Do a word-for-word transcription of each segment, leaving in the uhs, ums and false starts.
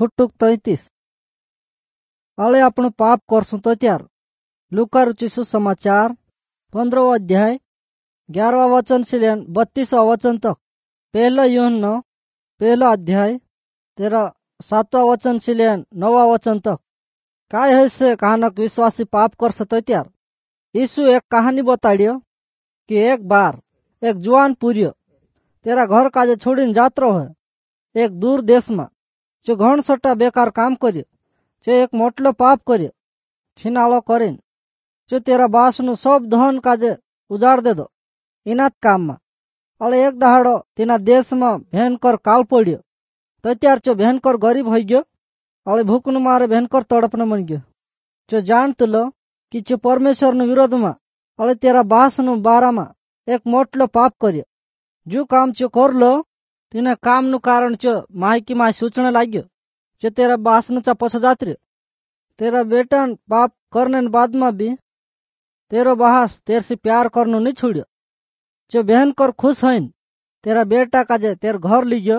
ફૂટુક તૈતીસ અળે આપણું પાપ કરશું તો ત્યાર લુકા रुचिसु समाचार पंद्रह अध्याय ग्यारहवा वचन से लेन बत्तीसवा वचन तक पहला यूहन्ना पहला अध्याय तेरा सातवा वचन से लेन नौवा वचन तक काय है से कहानक विश्वासी पाप कर सतो त्यार यीशु एक कहानी बताड़ियो कि एक बार एक जुआन पुरियो तेरा घर काजे छोड़ीने जात्रो है एक दूर देश में जो घण सट्टा बेकार काम कर्यो जो एक मोटलो पाप कर्यो छीनाळो करीने जो तेरा बासनु सब धन काजे उजाड़ दे दो इनात काम में अले एक दहाड़ो तेना देश में भयंकर काल पड़ियो तो त्यार चो भयंकर गरीब हो गयो अले भूखनु मारे भयंकर तड़पने मन गयो जो जानत लो कि जो परमेश्वर नु विरोध में अले तेरा बासनु बारा में एक मोटलो पाप कर्यो जो काम चो कर लो तेना काम नु कारण चो मायकी माय सूचने लाग्यो जो तेरा बासनु चा पछो जात रह्यो तेरा बेटा पाप करने बाद में भी तेरो बहास तेर से प्यार करनो नहीं छोड़ियो जो बहन कर खुश है तेरा बेटा काजे तेर घर लीजियो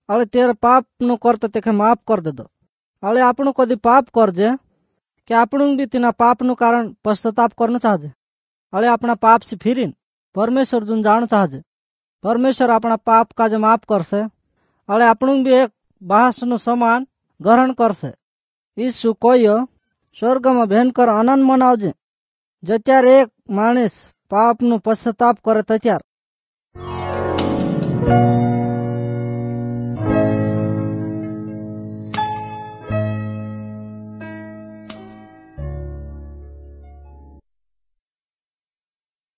अले तेरे पाप नु करते तेखे माफ कर दे दो अले आपनु कदी पाप कर जे कि आपनु भी तेना पाप नु कारण पश्चाताप करनो चाहजे अले अपना पाप से फिरीन परमेश्वर जुन जानो चाहजे परमेश्वर अपना पाप काजे माफ करसे अले आपनु भी एक बहास नु समान ग्रहण करसे यीशु कोयो स्वर्ग में भयंकर आनंद मनावजे जत्यार एक माणस पाप नु पश्चाताप करे त्यार